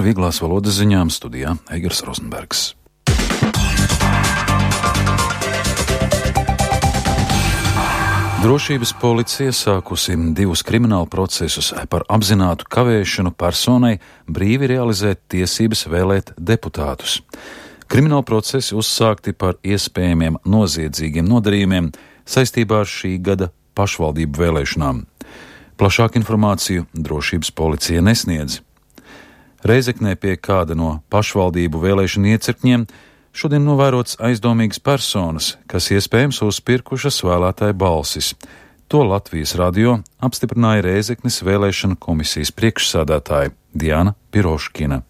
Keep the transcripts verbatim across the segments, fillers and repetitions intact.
Vieglās valodas ziņām studijā Eigars Rozenbergs. Drošības policija sākusi divus kriminālu procesus par apzinātu kavēšanu personai brīvi realizēt tiesības vēlēt deputātus. Krimināli procesi uzsākti par iespējamiem noziedzīgiem nodarījumiem saistībā ar šī gada pašvaldību vēlēšanām. Plašāku informāciju drošības policija nesniedz. Reizeknē pie kāda no pašvaldību vēlēšanu iecirkņiem šodien novērots aizdomīgas personas, kas iespējams uzpirkušas vēlētāju balsis. To Latvijas radio apstiprināja Reizeknes vēlēšanu komisijas priekšsādātāja Diana Piroškina.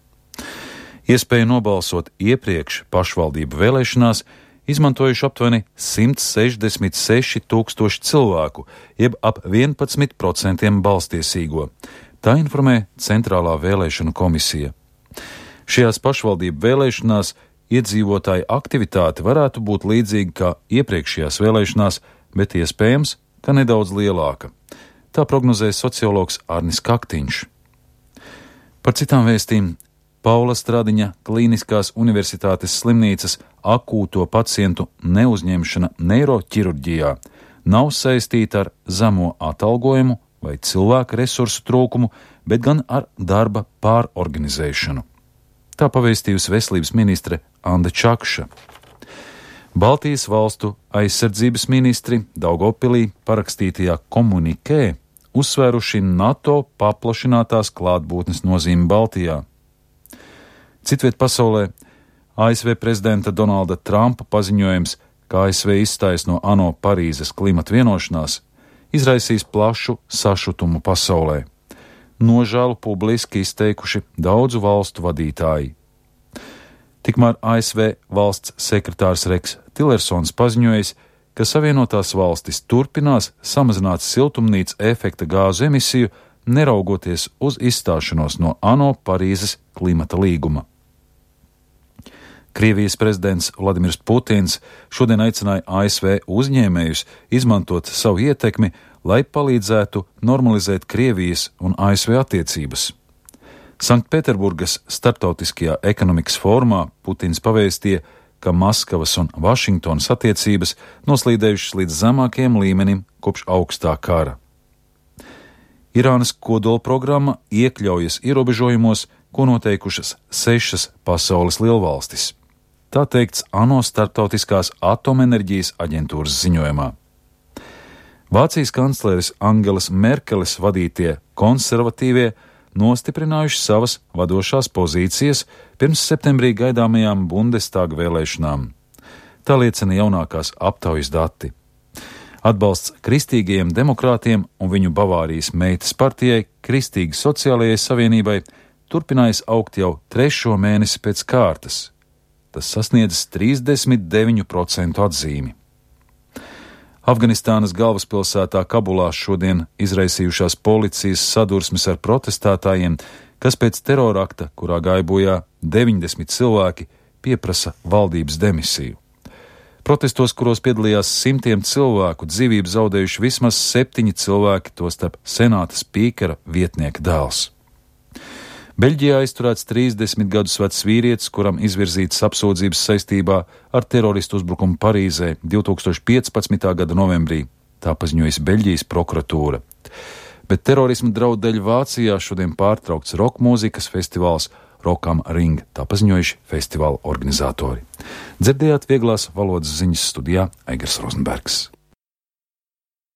Iespēju nobalsot iepriekš pašvaldību vēlēšanās izmantojuši aptuveni simt sešdesmit seši tūkstoši cilvēku, jeb ap vienpadsmit procentiem balstiesīgo. Tā informē Centrālā vēlēšanu komisija. Šajās pašvaldību vēlēšanās iedzīvotāju aktivitāte varētu būt līdzīga kā iepriekšējās vēlēšanās, bet iespējams, ka nedaudz lielāka. Tā prognozē sociologs Arnis Kaktiņš. Par citām vēstīm Paula Stradiņa Klīniskās universitātes slimnīcas akūto pacientu neuzņemšana neiroķirurģijā nav saistīta ar zemo atalgojumu vai cilvēku resursu trūkumu, bet gan ar darba pārorganizēšanu. Tā pavēstījusi veselības ministre Anda Čakša. Baltijas valstu aizsardzības ministri Daugavpilī parakstītajā komunikē uzsvēruši NATO paplašinātās klātbūtnes nozīmi Baltijā. Citviet pasaulē A S V prezidenta Donalda Trumpa paziņojums, ka A S V izstājas no ANO Parīzes klimata vienošanās, izraisīs plašu sašutumu pasaulē. Nožēlu publiski izteikuši daudzu valstu vadītāji. Tikmēr A S V valsts sekretārs Reks Tillersons paziņojis, ka Savienotās valstis turpinās samazināt siltumnīca efekta gāzu emisiju, neraugoties uz izstāšanos no ANO Parīzes klimata līguma. Krievijas prezidents Vladimirs Putins šodien aicināja A S V uzņēmējus izmantot savu ietekmi, lai palīdzētu normalizēt Krievijas un A S V attiecības. Sanktpēterburgas starptautiskajā ekonomikas fórumā Putins pavēstīja, ka Maskavas un Vašingtonas attiecības noslīdējušas līdz zemākajam līmenim kopš augstā kara. Irānas kodolprogramma iekļaujas ierobežojumos, ko noteikušas sešas pasaules lielvalstis. Tā teikts ANO starptautiskās atomenerģijas aģentūras ziņojumā. Vācijas kancleres Angelas Merkeles vadītie konservatīvie nostiprinājuši savas vadošās pozīcijas pirms septembrī gaidāmajām Bundestaga vēlēšanām. Tā liecina jaunākās aptaujas dati. Atbalsts kristīgajiem demokrātiem un viņu Bavārijas meitas partijai Kristīgi sociālajai savienībai turpinājas augt jau trešo mēnesi pēc kārtas. Tas sasniedz trīsdesmit deviņu procentu atzīmi. Afganistānas galvaspilsētā Kabulā šodien izraisījušās policijas sadursmes ar protestētājiem, kas pēc terorakta, kurā gāja bojā deviņdesmit cilvēki, pieprasa valdības demisiju. Protestos, kuros piedalījās simtiem cilvēku, dzīvību zaudējuši vismaz septiņi cilvēki, tostarp senāta spīkera vietnieka dēls. Beļģijā aizturēts trīsdesmit gadus vecs vīrietis, kuram izvirzītas apsūdzības saistībā ar teroristu uzbrukumu Parīzē divi tūkstoši piecpadsmitā gada novembrī. Tā paziņojas Beļģijas prokuratūra. Bet terorisma draudu dēļ Vācijā šodien pārtraukts roka mūzikas festivāls Rock am Ring, tā paziņojuši festivāla organizatori. Dzirdējāt vieglās valodas ziņas studijā Eigars Rozenbergs.